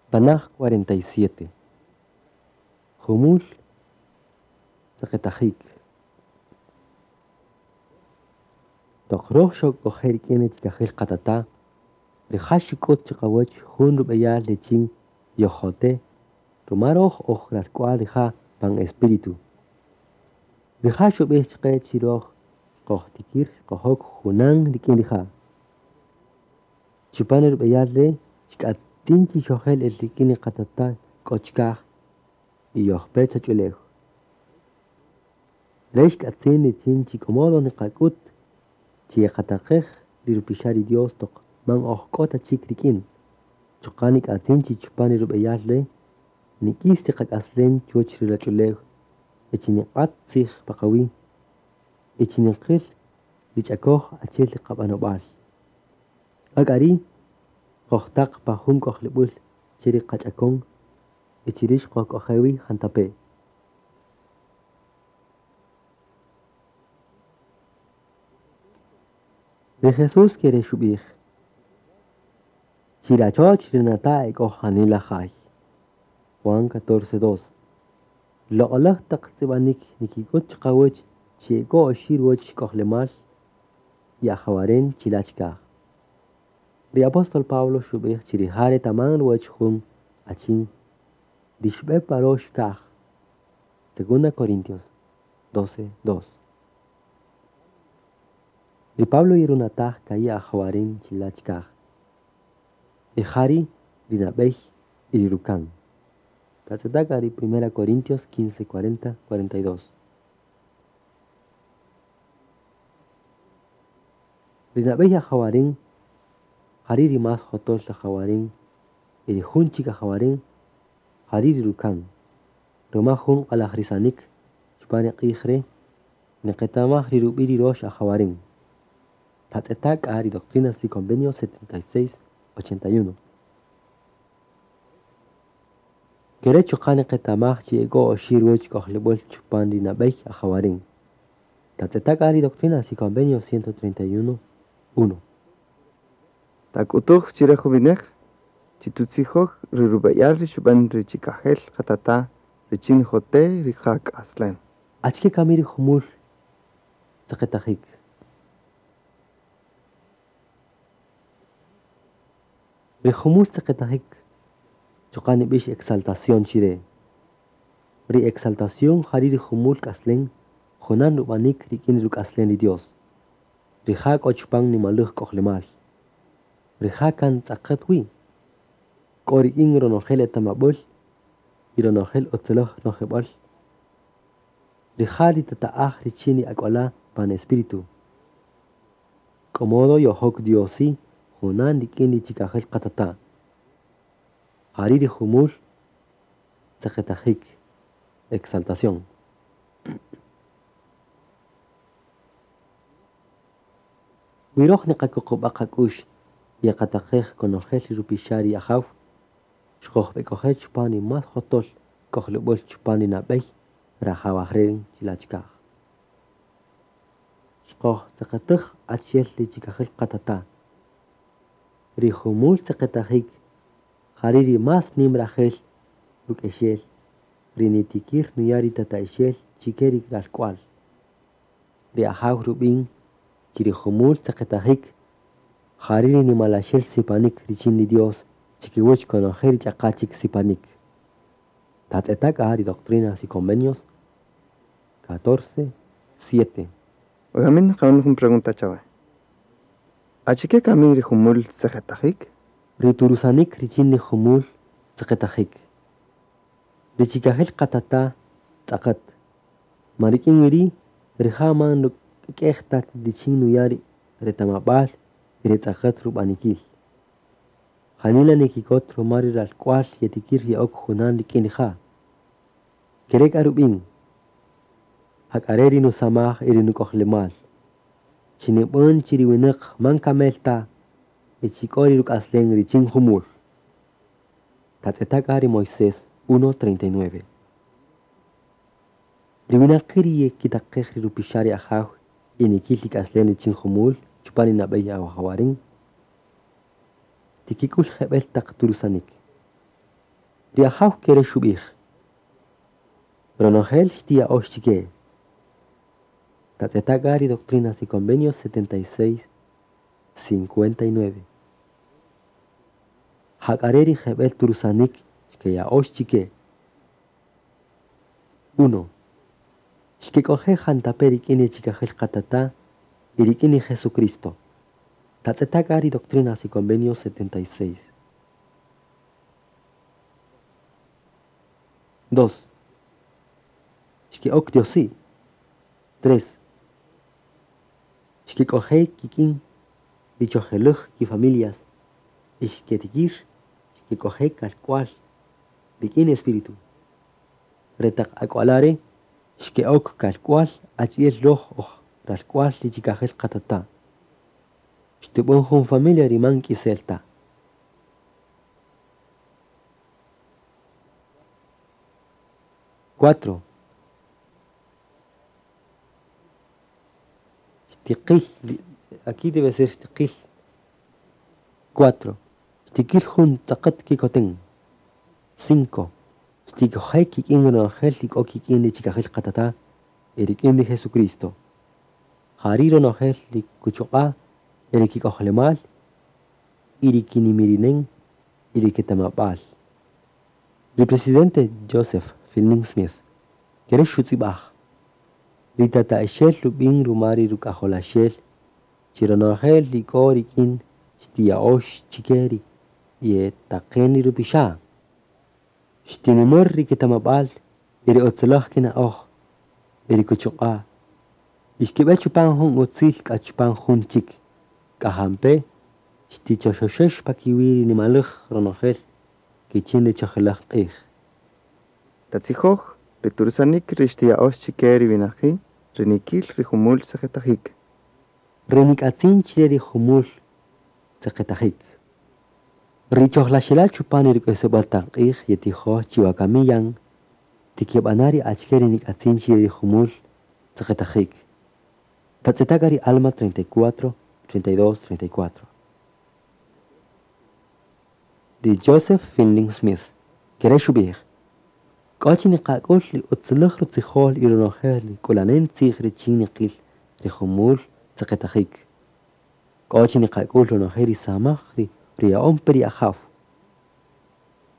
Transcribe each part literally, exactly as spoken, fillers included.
Tanaj cuarenta y siete. Jumul tzeqetajik. Toq roj xojk'oje' rik'in ri chikajel qatata', rija' xuk'ut chiqawach jun rub'eyal richin yojjote' ruma roj oj ralk'wa'l rija' pan espíritu. Rija' xub'ij chaqe chi roj xqojtikir xqojok junan rik'in rija'. Chupan ri rub'eyal re' xk'atzin chi xojel el rik'in ri qatata' k'o chikaj y yojpe choch'ulew. Re' xk'atzin richin chi k'o modo niqak'ut chi yeqataqej ri rupixa' ri Dios toq man oj k'o ta chik rik'in. Chuqa' nik'atzin chi chupan ri rub'eyal re' nik'is ri qak'aslem chuwäch ri ruwach'ulew y chi niq'at tzij pa qawi' y chi niqil ri ch'akoj achi'el ri qab'anob'al. Jak'a ri' qojtaq pa jun k'ojlib'äl che ri qach'akon y chiri' xqojk'oje' wi jantape'. Ri Jesús kere' xub'ij: Chirachoch ri nata' ek'o janila jay. Juan catorce dos. Loq'oläj taq tz'ib'anik nikik'ut chiqawach chi ek'o oxi' ruwäch k'ojlemal y ajawaren chila' chikaj. Ri apóstol Pablo xub'ij chi rija' retaman ruwäch jun achin ri xb'e pa rox kaj. Segunda Corintios doce dos. Ri Pablo yerunataj ka'i' ajawaren chila' chikaj. Y jari' ri nab'ey y ri rukan. Tatz'eta' ri Primera Corintios quince, cuarenta, cuarenta y dos. Ri nab'ey ajawaren jari' ri más jotol ajawaren y ri jun chik ajawaren jari' ri rukan. Ruma jun q'alajrisanik chupan ri q'ij re' niqetamaj ri rub'i' ri rox ajawaren. Tatz'eta' k'a ri Doctrinas y Convenios setenta y seis, ochenta y uno. Kere' chuqa' niqetamaj chi ek'o oxi' ruwäch k'ojlib'äl chupan ri nab'ey ajawaren. Tatz'eta' k'a ri Doctrinas y Convenios ciento treinta y uno, uno. Tak'utuj chire jun wineq chi tutzijoj ri rub'eyal ri xub'en ri chikajel qatata' richin jote' ri qak'aslen. Achike kami ri jumul tzeqetajik? Ri jumul tzeqetajik chuqa' nib'ix exaltación chire. Ri exaltación jari' ri jumul k'aslen junan rub'anik rik'in ruk'aslen ri Dios. Rija' k'o chupan nimalej k'ojlemal. Rija' kan tz'aqet wi. K'o rik'in ronojel etamab'äl y ronojel utziläj nojib'äl. Rija' ri tata'aj richin ri ak'wala' pan espíritu. K'o modo yojok Diosi junan rik'in ri chikajel qatata'. Jari' ri jumul tzeqetajik, exaltación. Wi roj niqakuqub'a' qak'u'x yeqataqej konojel ri rupixa' ri ajaw, xqojb'ek'oje' chupan ri más jotol k'ojlib'äl chupan ri nab'ey rajawaren chila' chikaj. Xqojtzeqetäj achi'el ri chikajel qatata'. Ri jumul tzeqetajik jari' ri más nim rajel ruk'exel ri nitikir nuya' ri tata'ixel chike ri ralk'wa'l. Ri ajaw rub'in chi ri jumul tzeqetajik jari' ri nimalaxel sipanik richin ri Dios chikiwach konojel ri ch'aqa chik sipanik. Tatz'eta' k'a ri Doctrinas y Convenios catorce, siete. Ogamin qaun jun pregunta chawe. Achike kami ri jumul tzeqetajik? Ri turusanik richin ri jumul tzeqetajik. Ri chikajel qatata' tz'aqet. Ma rik'in ri' rija' man ruk'ek'ej ta richin nuya' ri retamab'al y ri tz'aqet rub'anikil. Janila nikikot ruma ri ralk'wa'l yetikir ye'ok junan rik'in rija'. Kere' k'a rub'in. Jak'are' ri nusamaj y ri nuk'ojlemal. Chi nib'än chi ri winäq man kamel ta y chi k'o ri ruk'aslen richin jumul. Tatz'eta' k'a ri Moisés uno treinta y nueve. Ri winaqi' ri yekitaqej ri rupixa' ri ajaw y nikil ri k'aslen richin jumul chupan ri nab'ey awajawaren. Tikik'ul jeb'el taq turusanik. Ri ajaw kere xub'ij. Ronojel xtiya'ox chike. Tatz'eta' k'a ri Doctrinas y Convenios setenta y seis, cincuenta y nueve. Jak'are ri jeb'el turusanik xkeya'ox chike. Uno. Xkek'oje' jantape' rik'in ri chikajel qatata' y rik'in ri Jesucristo. Tatz'eta' k'a ri Doctrinas y Convenios setenta y seis. Dos. Xke'ok Diosi. Tres. Xkek'oje' kik'in ri chojelej kifamilias y xketikir xkek'oje' kalk'wal rik'in espíritu. Retaq ak'walare xke'ok kalk'wal achi'el roj oj ralk'wal ri chikajel qatata'. Xtub'än jun familia ri man k'isel ta. Cuatro. Xtiqil, aquí debe ser xtiqil. Cuatro. Xtiqil jun tz'aqat kikoten. Cinco. Xtikojej kik'in ronojel ik'o kik'in ri chikajel qatata' y rik'in ri Jesucristo. Jari ronojel ri kuchuq'a' y ri kik'ojlemal y ri kinimirinen y ri ketamab'al. Ri presidente Joseph Fielding Smith kere xutz'ib'aj. Ri tata'ixel rub'in ruma ri ruk'ajolaxel chi ronojel ik'o rik'in xtiya'ox chike ri yetaqen ri rupixa'. Xtinimär ri ketamab'al y ri otzelaj kina'oj y ri kuchuq'a'. Y xkib'e chupan jun utzil k'a chupan jun chik. K'ajampe xtichoxoxex pakiwi ri nimalej ronojel kichin ri chojelaj q'ij. Tatzijoj ri turusanik ri xtiya'ox chike ri winaqi' ri nikil ri jumul tzeqetajik. Ri nik'atzin chire ri jumul tzeqetajik. Ri chojlaxela chupan ri ruk'isib'äl taq q'ij yetijoj chiwakami yan tikib'ana ri achike ri nik'atzin chire ri jumul tzeqetajik. Tatz'eta' k'a ri Alma treinta y cuatro, treinta y dos, treinta y cuatro. Ri Joseph Fielding Smith kere xub'ij. K'o chi niqak'ul ri utzilej rutzijol y ronojel ri k'ulanen tzij richin niqil ri jumul tzeqetajik. K'o chi niqak'ul ronojel ri samaj ri riya'on pe ri ajaw.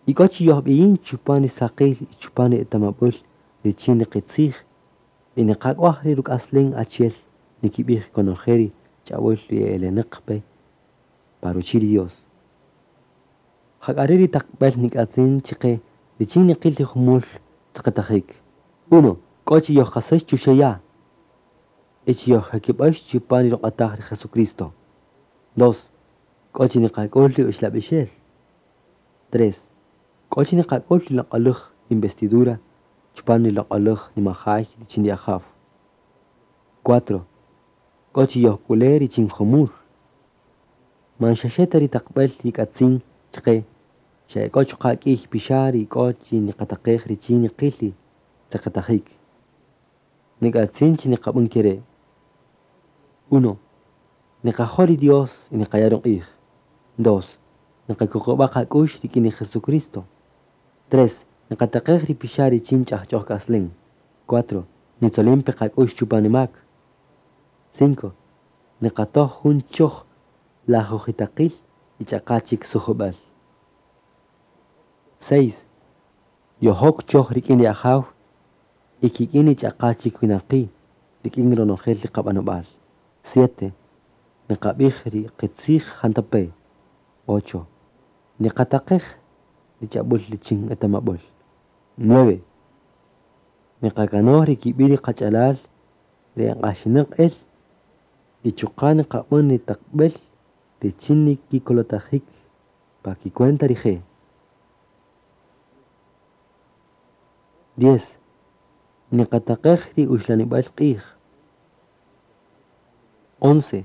Y k'o chi yojb'iyin chupan ri saqil y chupan ri etamab'äl richin niqitzij y niqak'waj ri ruk'aslen achi'el nikib'ij konojel ri ch'ab'äl ri elenäq pe pa ruchi' ri Dios. Jak'are ri taqb'el nik'atzin chiqe richin niqil ri jumul tzeqetajik. Uno. K'o chi yojqasäx chuxe ya' y chi yojjekib'äx chupan ri ruq'ataj ri Jesucristo. Dos. K'o chi niqak'ul ri uxlab'ixel. Tres. K'o chi niqak'ul ri loq'oläj investidura chupan ri loq'oläj nimajay richin ri ajaw. Cuatro. K'o chi yojk'ule' richin jumul. Man xaxe ta ri taqb'el yik'atzin chiqe xa k'o chuqa' k'iy pixa' ri k'o chi niqataqej richin niqil ri tzeqetajik. Nik'atzin chi niqab'än kere'. Uno. Niqajo' ri Dios y niqaya' ruq'ij. Dos. Niqakuqub'a' qak'ux rik'in ri Jesucristo. Tres. Niqataqej ri pixa' richin ch'ajch'oj k'aslen. Cuatro. Nitzolin pe qak'ux chupan ri mak. Cinco. Niqatoj jun choj lajujitaqil y ch'aqa chik sujub'äl. Seis. Yojok choj rik'in ri ajaw y kik'in ri ch'aqa chik winaqi' rik'in ronojel ri qab'anob'al. Siete. Niqab'ij ri qitzij jantape'. Ocho. Niqataqej ri ch'ab'äl richin etamab'äl. Nueve. Niqakanoj ri kib'i' ri qach'alal ri eq'axinäq el y chuqa' niqab'än ri taqb'el richin nikikolotajik pa kicuenta rije'. Diez. Niqataqej ri uxlanib'äl q'ij. Once.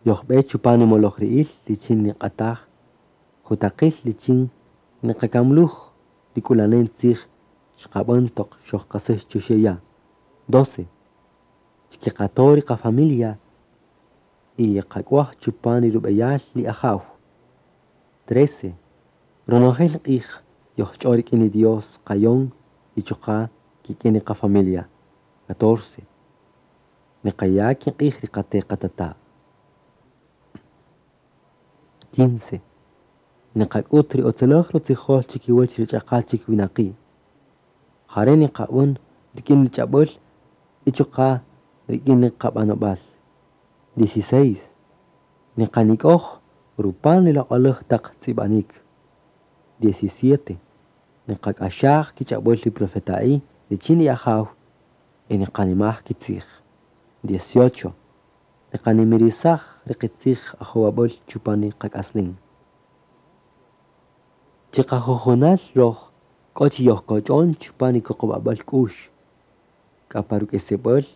Yojb'e chupan ri moloj ri'il richin niq'ataj jutaqil richin niqakamluj ri k'ulanen tzij xqab'än toq xojqasäx chuxe' ya'. Doce. Xkiqato' ri qafamilia y yeqak'waj chupan ri rub'eyal ri ajaw. Trece. Ronojel q'ij Yojch'on rik'in ri Dios qayon y chuqa' kik'in ri qa-familia. Catorce. Niqaya' kiq'ij ri qate' qatata'. Quince. Niqak'ut ri utziläj rutzijol chi kiwäch ri ch'aqa chik winaqi'. Ja re' niqab'än rik'in ri ch'ab'äl y chuqa' rik'in ri qab'anob'al. Dieciseis. Niqanik'oj rupan ri loq'oläj taq tz'ib'anïk. Diecisiete. Niqak'axaj kich'ab'äl ri profeta'i' richin ri Ajaw y niqanimaj kitzij. Dieciocho. Niqanimirisaj ri qitzij ajowab'äl chupan ri qak'aslem. Chi qajujunal röj k'o chi yojkoch'on chupan ri kuqub'ab'äl k'u'x, k'a pa ruk'isib'äl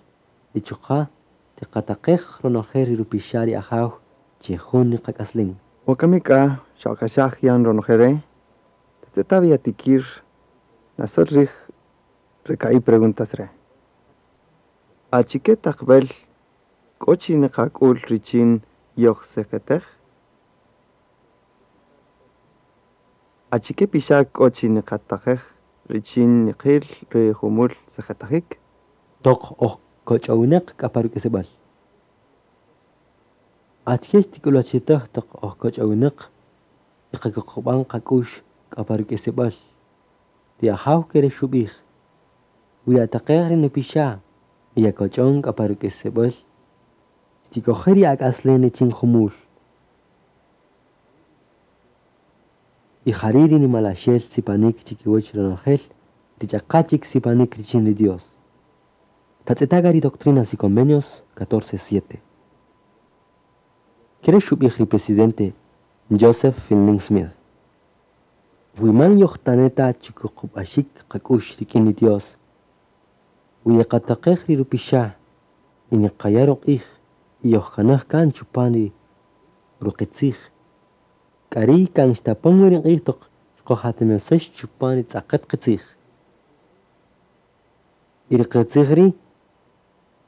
y chuqa' tiqataqej ronojel ri rupixa' ri Ajaw chi jun ri qak'aslem. Wakami k'a xawak'axaj yan ronojel re', tatz'eta' wi yatikir nasöl rij re ka'i' preguntas re'. Achike taqb'ël k'o chi niqak'ül richin yojseqetej? Achike pixa' k'o chi niqataqej richin niqïl ri jumul seqetajïk? Toq oj koch'owinäq k'a pa ruk'isib'äl. Achike xtik'ulwachitäj toq oj koch'owinäq y qakuqub'an qak'u'x k'a pa ruk'isib'äl? Ri Ajaw ke re' xub'ij: Wi yataqej ri nupixa' y yakoch'on k'a pa ruk'isib'äl, xtik'oje' ri ak'aslem richin jumul. Y jari' ri nimalaxel sipanik chikiwäch ronojel ri ch'aqa chik sipanik richin ri Dios. Tatz'eta' k'a ri Doctrinas y Convenios catorce siete. Ke re' xub'ij ri presidente Joseph Fielding Smith. Wi man yojtane' ta chikuqub'axik qak'u'x rik'in ri Dios, wi yeqataqej ri rupixa' y niqaya' ruq'ij y yojkanaj kan chupan ri ruqitzij, k'a ri' kan xtapon wi ri q'ij toq xqojatinasäx chupan ri tz'aqet qitzij. Y ri qitzij ri'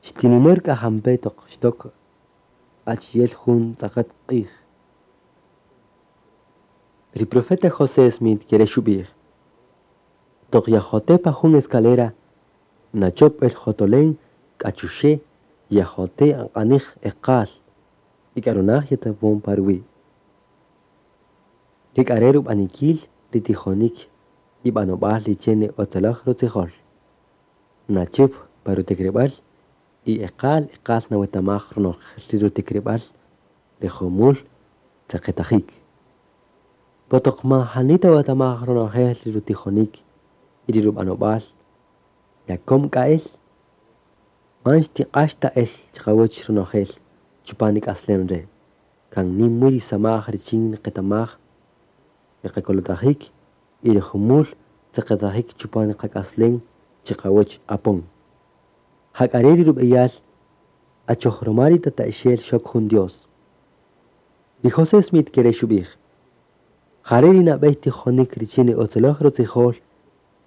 xtinimär k'a jampe' toq xtok achi'el jun tz'aqet q'ij. Ri profeta José Smith ke re' xub'ij: Toq yajote' pa jun escalera, nachop el jotolen k'a chuxe' yajote' aq'anij eqal y k'a runaj yatapon pa ruwi'. Ke k'a re' rub'anikil ri tijonik y b'anob'äl richin ri utziläj rutzijol. Nachüp pa rutikirib'al y eqal eqal nawetamaj ronojel ri rutikirib'al ri jumul tzeqetajïk. Po toq man jani tawetamaj ronojel ri rutijonik y ri rub'anob'al, yakom k'a el, man xtiq'ax ta el chiqawäch ronojel chupan ri k'aslem re'. Kan nïm wi ri samaj richin niqetamaj ri qakolotajik y ri jumul tzeqetajïk chupan ri qak'aslem chiqawäch apon. Ja k'a re' ri rub'eyal achoj ruma ri tata'ixel xok jun Dios. Ri José Smith ke re' xub'ij: Ja re' ri nab'ey tijonik richin ri utziläj rutzijol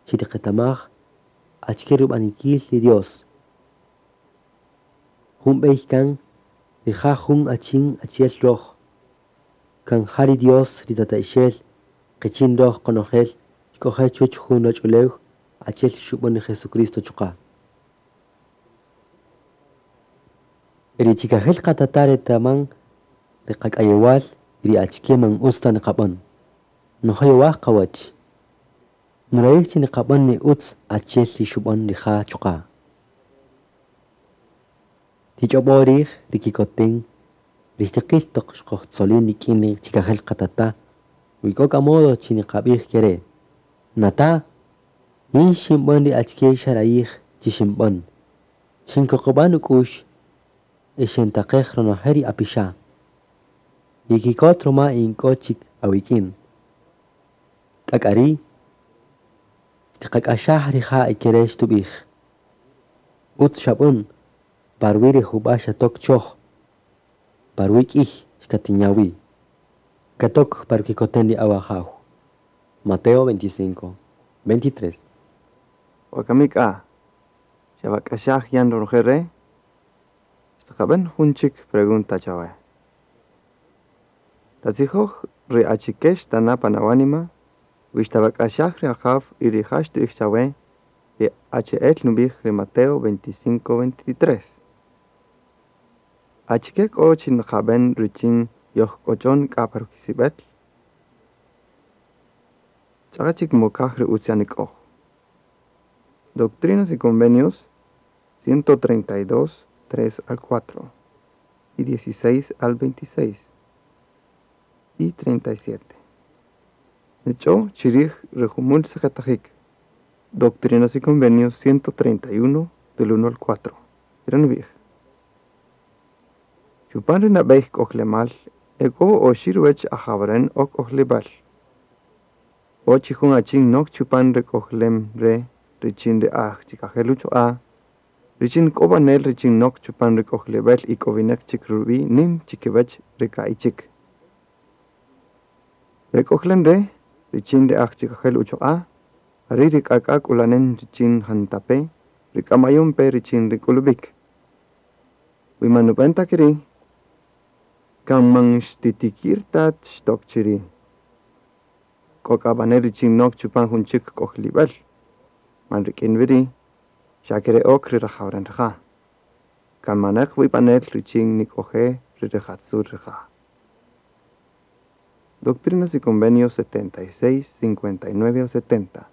chi tiqetamaj achike rub'anikil ri Dios. Jun b'ey kan rija' jun achin achi'el röj. Kan ja ri Dios ri tata'ixel qichin röj qonojel xk'oje' chuwäch jun ruwach'ulew achi'el xub'än ri Jesucristo chuqa'. Ri chikajel qatata' retaman ri qak'ayewal y ri achike man utz ta niqab'än. Nujoyowaj qawäch. Nurayij chi niqab'än ri utz achi'el ri xub'än rija' chuqa'. Tich'ob'o' rij ri kikoten ri xtiqïl toq xkojtzolin rik'in ri chikajel qatata' wi k'o k'a modo chi niqab'ij ke re': Nata', yin xinb'än ri achike xarayij chi xinb'än. Xinkuqub'a' nuk'u'x y xintaqej ronojel ri apixa'. Yikikot ruma in k'o chik awik'in. K'a k'a ri' xtiqak'axaj rija' y ke re' xtub'ij: Utz xab'än, pa ruwi' ri jub'a' xatok choj, pa ruwi' k'ïy xkatinya' wi. Katok pa rukikoten ri awajaw. Mateo veinticinco, veintitrés. Wakami k'a, xawak'axaj yan ronojel re', xtaqab'än jun chik pregunta chawe. Tatzijoj ri achike xtana' pan awanima Wi xtawak'axaj ri Ajaw y rija' xtu'ij chawe ri achi'el nub'ij ri Mateo veinticinco veintitrés. Achike k'o chi nqab'än richin yojkoch'on k'a pa ruk'isib'äl? Ch'aqa chik mokaj ri ütz yanik'oj. Doctrinas y Convenios ciento treinta y dos, tres al cuatro y dieciséis al veintiséis y treinta y siete. Nech'o chi rij ri jumul tzeqetajik. Doctrinas y Convenios ciento treinta y uno, del uno al cuatro. Re' nub'ij. Chupan ri nab'ey k'ojlemal e k'o oxi' ruwäch ajawaren o k'ojlib'äl. O chi jun achin nok chupan re k'ojlem re' richin ri aj chikajel uchuq'a', richin k'o b'anel richin nok chupan ri k'ojlib'äl ik'owineq chik rub'i' nim chikiwäch ri ka'i' chik. Re k'ojlem re' richin ri aj chikajel uchuq'a', jari' ri k'ak'a' k'ulanen richin jantape' ri k'amayon pe richin ri k'ulub'ik. Wi man nub'än ta ke ri', kan man xtitikir ta xtok chiri'. K'o k'a b'anel richin nok chupan jun chik k'ojlib'äl, man rik'in wi ri', xa kere' ok ri rajawaren rija'. Kan maneq wi b'anel richin nik'oje' ri rijatzul rija'. Doctrinas y Convenios setenta y seis, cincuenta y nueve al setenta.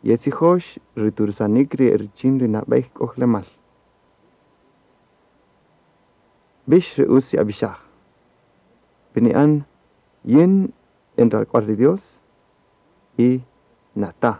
Yetzijox ri tursanik ri richin ri nab'ey k'ojlemal. B'ix ri utz yab'ixaj. B'ini'an yin en ralk'wal ri Dios y nata'.